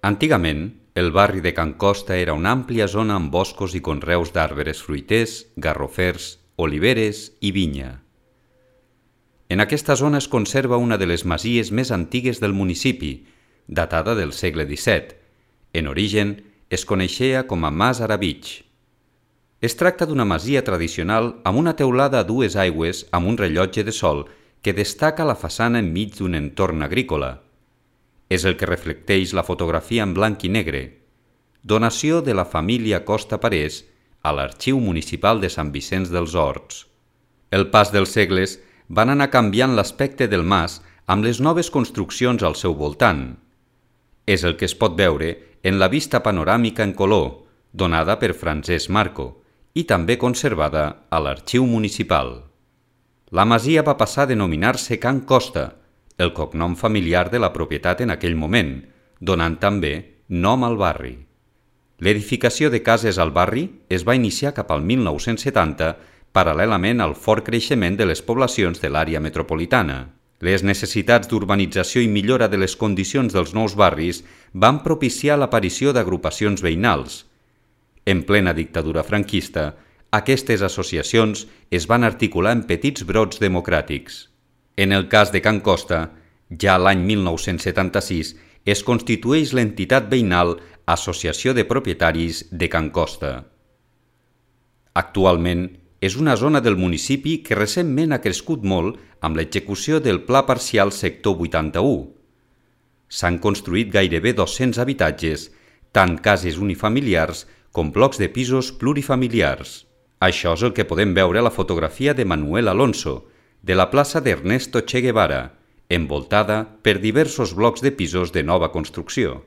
Antigament, el barri de Can Costa era una àmplia zona amb boscos i conreus d'arbres fruiters, garrofers, oliveres i vinya. En aquesta zona es conserva una de les masies més antigues del municipi, datada del segle XVII. En origen, es coneixia com a Mas Aravich. Es tracta d'una masia tradicional amb una teulada a dues aigües amb un rellotge de sol que destaca la façana enmig d'un entorn agrícola. És el que reflecteix la fotografia en blanc i negre, donació de la família Costa Parés a l'Arxiu Municipal de Sant Vicenç dels Horts. El pas dels segles van anar canviant l'aspecte del mas amb les noves construccions al seu voltant. És el que es pot veure en la vista panoràmica en color, donada per Francesc Marco, i també conservada a l'Arxiu Municipal. La masia va passar a denominar-se Can Costa, el cognom familiar de la propietat en aquell moment, donant també nom al barri. L'edificació de cases al barri es va iniciar cap al 1970, paral·lelament al fort creixement de les poblacions de l'àrea metropolitana. Les necessitats d'urbanització i millora de les condicions dels nous barris van propiciar l'aparició d'agrupacions veïnals. En plena dictadura franquista, aquestes associacions es van articular en petits brots democràtics. En el cas de Can Costa, ja l'any 1976 es constitueix l'entitat veïnal Associació de Propietaris de Can Costa. Actualment, és una zona del municipi que recentment ha crescut molt amb l'execució del Pla Parcial Sector 81. S'han construït gairebé 200 habitatges, tant cases unifamiliars com blocs de pisos plurifamiliars. Això és el que podem veure a la fotografia de Manuel Alonso, de la plaça d'Ernesto Che Guevara, envoltada per diversos blocs de pisos de nova construcció.